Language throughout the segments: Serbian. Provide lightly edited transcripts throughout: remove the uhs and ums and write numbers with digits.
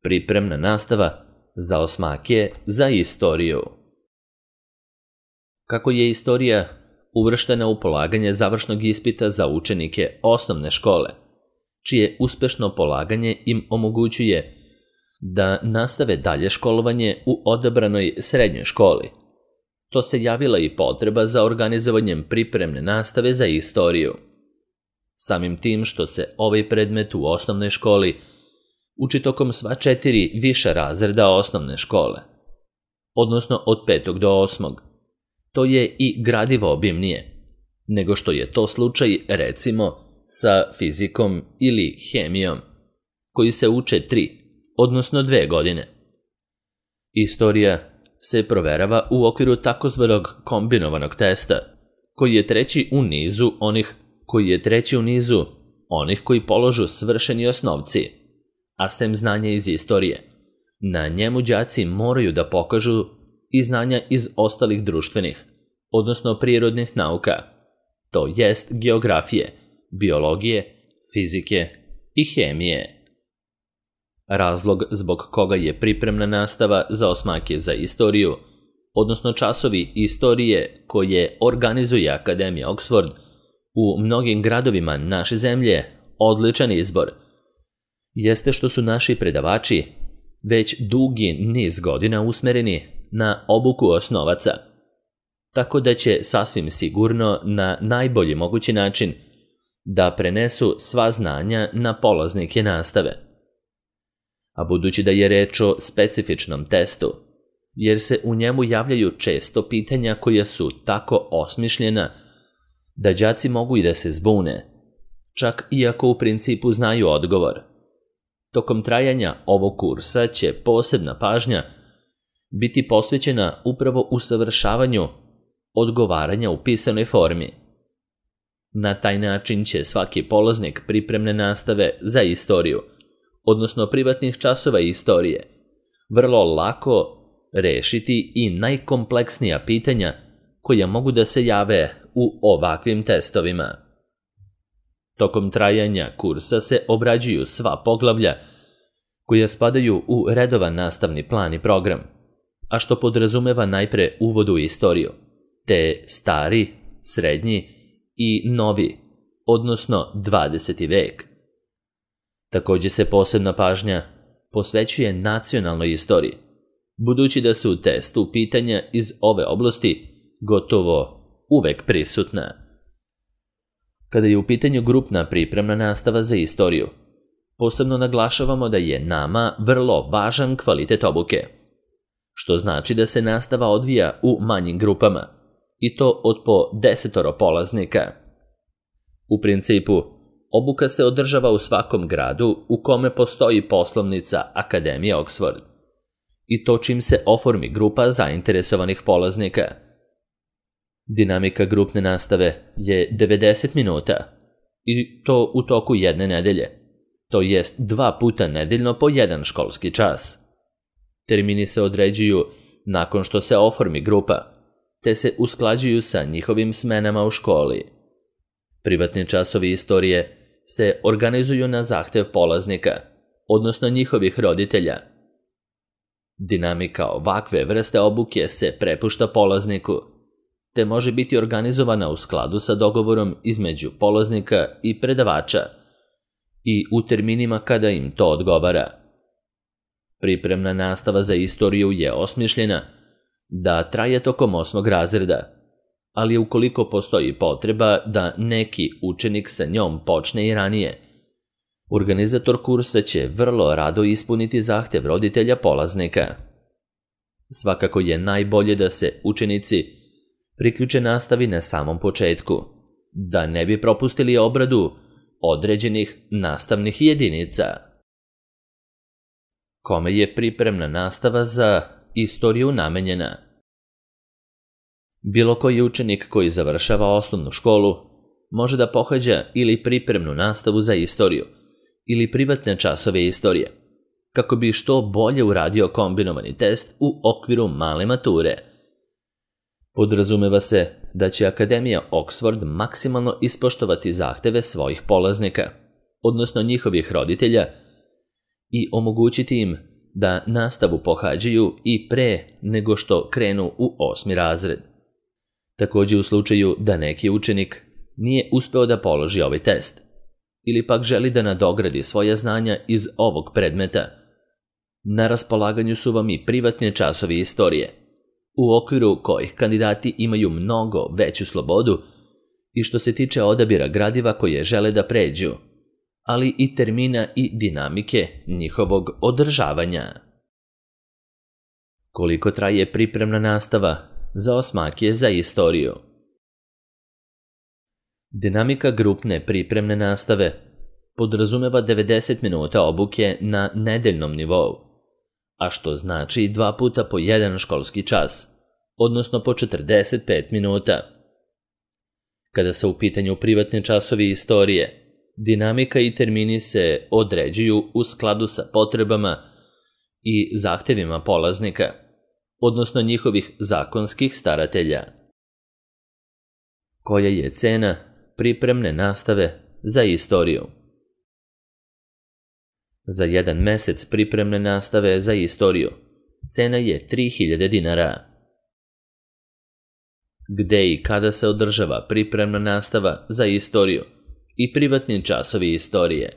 Pripremna nastava za osmake za istoriju. Kako je istorija uvrštena u polaganje završnog ispita za učenike osnovne škole, čije uspešno polaganje im omogućuje da nastave dalje školovanje u odabranoj srednjoj školi, to se javila i potreba za organizovanjem pripremne nastave za istoriju. Samim tim što se ovaj predmet u osnovnoj školi uči tokom sva 4 viša razreda osnovne škole, odnosno od 5. do 8. To je i gradivo obimnije, nego što je to slučaj recimo sa fizikom ili hemijom, koji se uče 3, odnosno 2 godine. Istorija se proverava u okviru takozvanog kombinovanog testa, koji je treći u nizu onih koji položu svršeni osnovci, a sem znanja iz istorije. Na njemu đaci moraju da pokažu i znanja iz ostalih društvenih, odnosno prirodnih nauka, to jest geografije, biologije, fizike i hemije. Razlog zbog koga je pripremna nastava za osmake za istoriju, odnosno časovi istorije koje organizuje Akademija Oxford u mnogim gradovima naše zemlje, odličan izbor, jeste što su naši predavači već dugi niz godina usmereni na obuku osnovaca, tako da će sasvim sigurno na najbolji mogući način da prenesu sva znanja na polaznike nastave. A budući da je reč o specifičnom testu, jer se u njemu javljaju često pitanja koja su tako osmišljena da đaci mogu i da se zbune, čak iako u principu znaju odgovor. Tokom trajanja ovog kursa će posebna pažnja biti posvećena upravo usavršavanju odgovaranja u pisanoj formi. Na taj način će svaki polaznik pripremne nastave za istoriju, odnosno privatnih časova istorije, vrlo lako rešiti i najkompleksnija pitanja koja mogu da se jave u ovakvim testovima. Tokom trajanja kursa se obrađuju sva poglavlja koja spadaju u redovan nastavni plan i program, a što podrazumeva najpre uvod u istoriju, te stari, srednji i novi, odnosno 20. vek. Također se posebna pažnja posvećuje nacionalnoj istoriji, budući da su u testu pitanja iz ove oblasti gotovo uvek prisutna. Kada je u pitanju grupna pripremna nastava za istoriju, posebno naglašavamo da je nama vrlo važan kvalitet obuke, što znači da se nastava odvija u manjim grupama, i to od po 10 polaznika. U principu, obuka se održava u svakom gradu u kome postoji poslovnica Akademije Oxford, i to čim se oformi grupa zainteresovanih polaznika. Dinamika grupne nastave je 90 minuta, i to u toku jedne nedelje, to jest 2 puta nedeljno po 1 školski čas. Termini se određuju nakon što se oformi grupa, te se usklađuju sa njihovim smenama u školi. Privatni časovi istorije se organizuju na zahtev polaznika, odnosno njihovih roditelja. Dinamika ovakve vrste obuke se prepušta polazniku, te može biti organizovana u skladu sa dogovorom između polaznika i predavača i u terminima kada im to odgovara. Pripremna nastava za istoriju je osmišljena da traje tokom 8. razreda, ali ukoliko postoji potreba da neki učenik sa njom počne i ranije, organizator kursa će vrlo rado ispuniti zahtev roditelja polaznika. Svakako je najbolje da se učenici priključe nastavi na samom početku, da ne bi propustili obradu određenih nastavnih jedinica. Kome je pripremna nastava za istoriju namenjena? Bilo koji učenik koji završava osnovnu školu može da pohađa ili pripremnu nastavu za istoriju ili privatne časove istorije, kako bi što bolje uradio kombinovani test u okviru male mature. Podrazumeva se da će Akademija Oxford maksimalno ispoštovati zahteve svojih polaznika, odnosno njihovih roditelja, i omogućiti im da nastavu pohađaju i pre nego što krenu u 8. razred. Također u slučaju da neki učenik nije uspeo da položi ovaj test ili pak želi da nadogradi svoja znanja iz ovog predmeta, na raspolaganju su vam i privatni časovi istorije, u okviru kojih kandidati imaju mnogo veću slobodu i što se tiče odabira gradiva koje žele da pređu, ali i termina i dinamike njihovog održavanja. Koliko traje pripremna nastava za osmake za istoriju? Dinamika grupne pripremne nastave podrazumeva 90 minuta obuke na nedeljnom nivou, a što znači 2 puta po 1 školski čas, odnosno po 45 minuta. Kada su u pitanju privatni časovi istorije, dinamika i termini se određuju u skladu sa potrebama i zahtevima polaznika, odnosno njihovih zakonskih staratelja. Koja je cena pripremne nastave za istoriju? Za 1 mesec pripremne nastave za istoriju cena je 3000 dinara. Gde i kada se održava pripremna nastava za istoriju i privatni časovi istorije?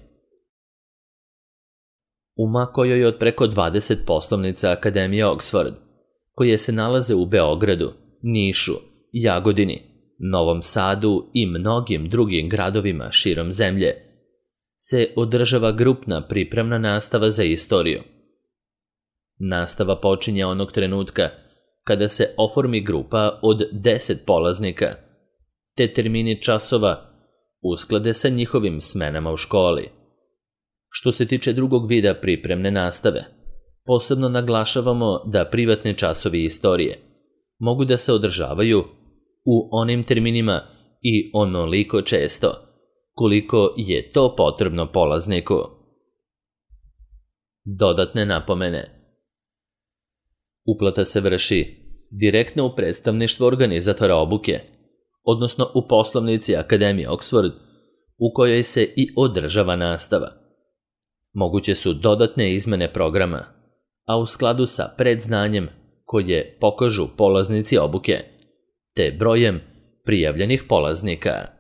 U kojoj od preko 20 poslovnica Akademije Oxford, koje se nalaze u Beogradu, Nišu, Jagodini, Novom Sadu i mnogim drugim gradovima širom zemlje, se održava grupna pripremna nastava za istoriju. Nastava počinje onog trenutka kada se oformi grupa od 10 polaznika, te termini časova usklade sa njihovim smenama u školi. Što se tiče drugog vida pripremne nastave, posebno naglašavamo da privatni časovi istorije mogu da se održavaju u onim terminima i onoliko često koliko je to potrebno polazniku. Dodatne napomene. Uplata se vrši direktno u predstavništvo organizatora obuke, odnosno u poslovnici Akademije Oxford, u kojoj se i održava nastava. Moguće su dodatne izmene programa, a u skladu sa predznanjem koje pokažu polaznici obuke, te brojem prijavljenih polaznika.